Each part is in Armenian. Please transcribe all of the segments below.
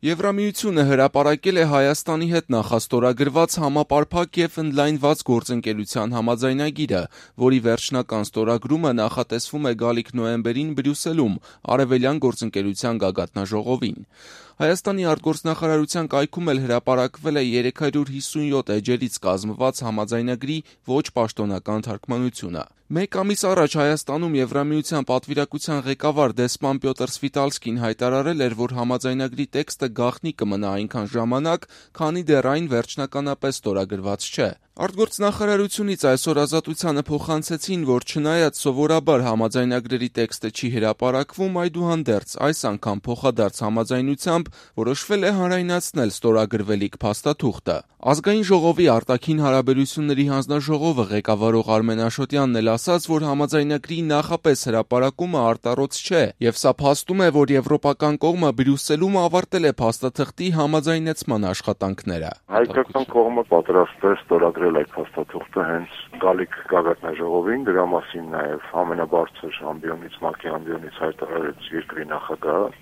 Եվրամիությունը հրապարակել է Հայաստանի հետ նախաստորագրված համապարփակ և ընդլայնված գործընկերության համաձայնագիրը, որի վերջնական ստորագրումը նախատեսվում է գալիք նոյեմբերին Բրյուսելում Արևելյան գործընկերության գագաթնաժողովին։ Հայաստանի արտգործնախարարության կայքում էլ հրապարակվել է 357 էջերից կազմված համաձայնագրի ոչ պաշտոնական թարգմանությունը։ Մեկ ամիս առաջ Հայաստանում Եվրամիության պատվիրակության ղեկավար դեսպան Պյոտր Սվիտալսկին հայտարարել էր, որ համաձայնագրի տեքստը գաղտնի կմնա այնքան ժամանակ, քանի դեռ այն վերջնականապես ստորագրված չէ։ Արտգործնախարարությունից այսօր Ազատությանը փոխանցեցին, որ չնայած սովորաբար համաձայնագրերի տեքստը չի հրապարակվում, այդուհանդերձ այս անգամ փոխադարձ համաձայնությամբ որոշվել է հանրայնացնել ստորագրվելիք փաստաթուղթը։ Ազգային ժողովի արտաքին հարաբերությունների հանձնաժողովը ղեկավարող Արմեն Աշոտյանն էլ ասաց, որ համաձայնագրի նախապես հրապարակումը արտառոց չէ, եւ սա փաստում է, որ եվրոպական կողմը Բրյուսելում ավարտել է փաստաթղթի համաձայնեցման աշխատանքները։ Հայկական կողմը պատրաստ է ստորագրել այդ փաստաթուղթը հենց գալիք գագաթնաժողովին, դրա մասին նաեւ ամենաբարձր ամբիոնից ՄԱԿ-ի ամբիոնից հայտարարեց երկրի նախագահը։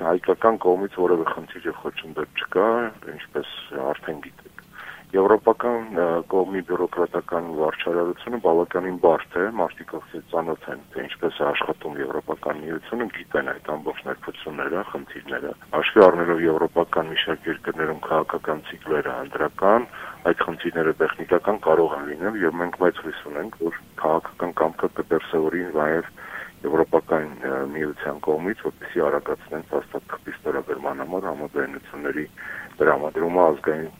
Հայկական կողմից որևէ խնդիր եւ խոչընդոտ չկա, ինչպես արդեն գիտեք։ Եվրոպական կողմի բյուրոկրատական վարչարարությունը բավականին բարդ է, մարդիկ ծանոթ են, թե ինչպես է աշխատում Եվրոպական միությունը, գիտեն այդ ամբողջ ներկայությունները, խնդիրները։ Հաշվի առնելով եվրոպական մի շարք երկրներում քաղաքական ցիկլերը անդրական, այդ խնդիրները տեխնիկական կարող են լինել եւ մենք մեծ հույս ունենք, որ քաղաքական կամքը կդրսևորի նաեւ Եվրոպական միության կողմից, որպեսզի արագացնեն փաստաթղթի ստորագրման համար համաձայնությունների տրամադրումը ազգային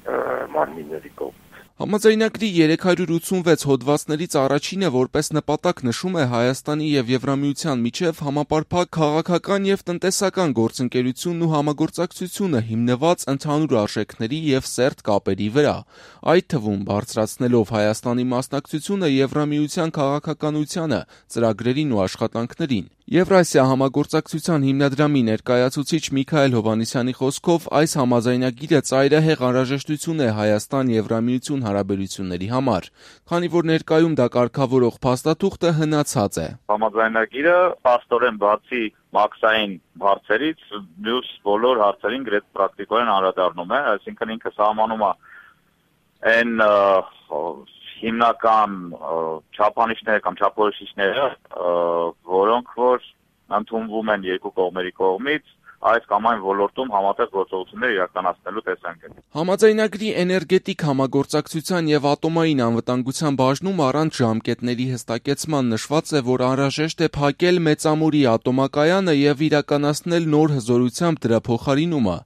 մարմինների կողմից։ Համաձայնագրի 386 հոդվածներից առաջինը որպես նպատակ նշում է Հայաստանի եւ Եվրամիության միջև համապարփակ քաղաքական եւ տնտեսական գործընկերությունն ու համագործակցությունը հիմնված ընդհանուր արժեքների եւ սերտ կապերի վրա, այդ թվում բարձրացնելով Հայաստանի մասնակցությունը Եվրամիության քաղաքականությանը, ծրագրերին ու աշխատանքներին։ Եվրասիա համագործակցության հիմնադրամի ներկայացուցիչ Միքայել Հովհաննիսյանի խոսքով այս համաձայնագիրը ծայրահեղ անհրաժեշտություն է Հայաստան-Եվրամիություն հարաբերությունների համար, քանի որ ներկայում դա կարգավորող փաստաթուղթը հնացած է։ Համաձայնագիրը փաստորեն բացի մաքսային հարցերից մյուս բոլոր հարցերին գրեթե պրակտիկորեն անդրադառնում է, այսինքն ինքը սահմանում է այն հիմնական չափանիշները կամ չափորոշիչները, որոնք որ ընդունվում են երկու կողմերի կողմից այս կամ այն ոլորտում համատեղ գործողություններ իրականացնելու տեսանկյունից։ Համաձայնագրի էներգետիկ համագործակցության եւ ատոմային անվտանգության բաժնում առանց ժամկետների հստակեցման նշված է, որ անհրաժեշտ է փակել Մեծամորի ատոմակայանը եւ իրականացնել նոր հզորությամբ դրա փոխարինումը։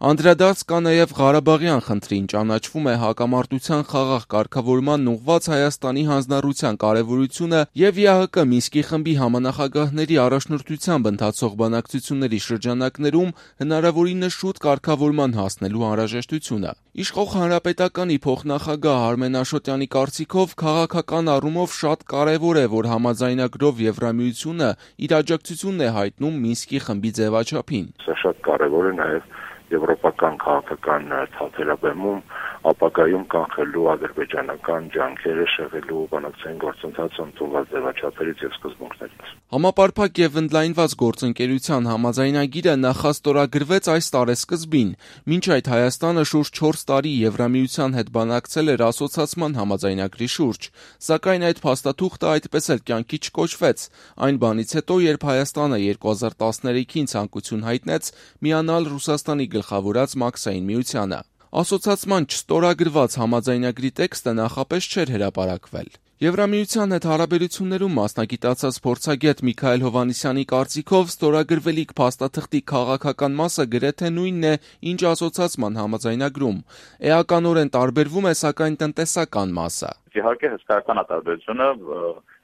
Անդրադարձ կա նաև Ղարաբաղյան խնդրին, ճանաչվում է հակամարտության խաղաղ կարգավորման ուղղված Հայաստանի հանձնառության կարևորությունը եւ ԵԱՀԿ Մինսկի խմբի համանախագահների առաջնորդությամբ ընթացող բանակցությունների շրջանակներում հնարավորինս շուտ կարգավորման հասնելու անհրաժեշտությունը։ Իշխող Հանրապետականի փոխնախագահ Արմեն Աշոտյանի կարծիքով քաղաքական առումով շատ կարևոր է, որ համաձայնագրով Եվրամիությունը իր աջակցությունն է հայտնում Մինսկի խմբի ձևաչափին։ Սա շատ կարևոր է նաև եվրոպական քաղաքական ցուցաբերումում ապագայում կանխելու ադրբեջանական ջանքերը շեղելու բանակցային գործընթացը ընդունված ձևաչափերից եւ սկզբունքներից։ Համապարփակ եւ ընդլայնված գործընկերության համաձայնագիրը նախաստորագրվեց այս տարեսկզբին, մինչ այդ Հայաստանը շուրջ 4 տարի Եվրամիության հետ բանակցել էր ասոցիացման համաձայնագրի շուրջ, սակայն այդ փաստաթուղթը այդպես էլ կյանքի չկոչվեց, այն բանից հետո, երբ Հայաստանը 2013-ին ցանկություն հայտնեց միանալ Ռուսաստանի գլխավորած մաքսային միությանը։ Ասոցիացման չստորագրված համաձայնագրի տեքստը նախապես չէր հրապարակվել։ Եվրամիության հետ հարաբերություններում մասնագիտացած փորձագետ Միքայել Հովհաննիսյանի կարծիքով ստորագրվելիք փաստաթղթի քաղաքական մասը գրեթե նույնն է, ինչ ասոցիացման համաձայնագրում։ Էականորեն տարբերվում է սակայն տնտեսական մասը։ Իհարկե հսկայական է տարբերությունը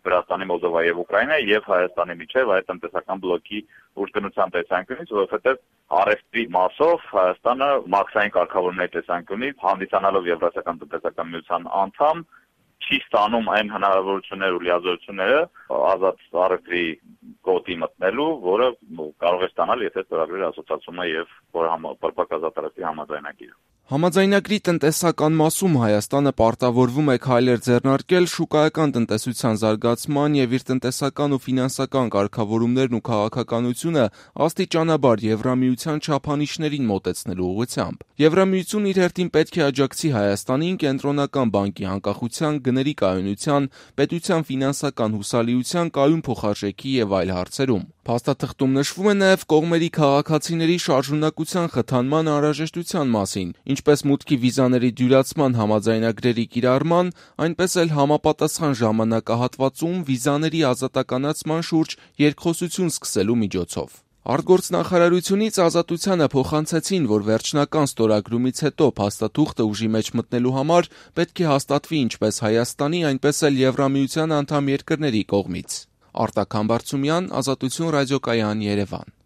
Վրաստանի, Մոլդովայի եւ Ուկրաինայի եւ Հայաստանի միջեւ այդ տնտեսական բլոկի ուժգնության տեսանկյունից, որովհետեւ առևտրի մասով Հայաստանը մաքսային կարգավորումների տեսանկյունից հանդիսանալով Եվրասիական տնտեսական միության անդամ չի ստանում այն հնարավորությունները ու լիազորությունները ազատ առևտրի գոտի մտնելու, որը կարող է ստանալ, եթե ստորագրել ասոցիացումը եւ որ պարփակ ազատ առևտրի համաձայնագիրը։ Համաձայնագրի տնտեսական մասում Հայաստանը պարտավորվում է քայլեր ձեռնարկել շուկայական տնտեսության զարգացման և իր տնտեսական ու ֆինանսական կարգավորումներն ու քաղաքականությունը աստիճանաբար Եվրամիության չափանիշներին մոտեցնելու ուղղությամբ։ Եվրամիությունն իր հերթին պետք է աջակցի Հայաստանին Կենտրոնական բանկի անկախության, գների կայունության, պետության ֆինանսական հուսալիության, կայուն փոխարժեքի և այլ հարցերում։ Փաստաթղթում նշվում է նաև կողմերի քաղաքացիների շարժունակության խթանման անհրաժեշտության մասին, ինչպես մուտքի վիզաների դյուրացման համաձայնագրերի կիրառման, այնպես էլ համապատասխան ժամանակահատվածում վիզաների ազատականացման շուրջ երկխոսություն սկսելու միջոցով։ Արտգործնախարարությունից Ազատությանը փոխանցեցին, որ վերջնական ստորագրումից հետո փաստաթուղթը ուժի մեջ մտնելու համար պետք է հաստատվի ինչպես Հայաստանի, այնպես էլ Եվրամիության անդամ երկրների կողմից։ Արտակ Համբարձումյան, Ազատություն ռադիոկայան, Երևան։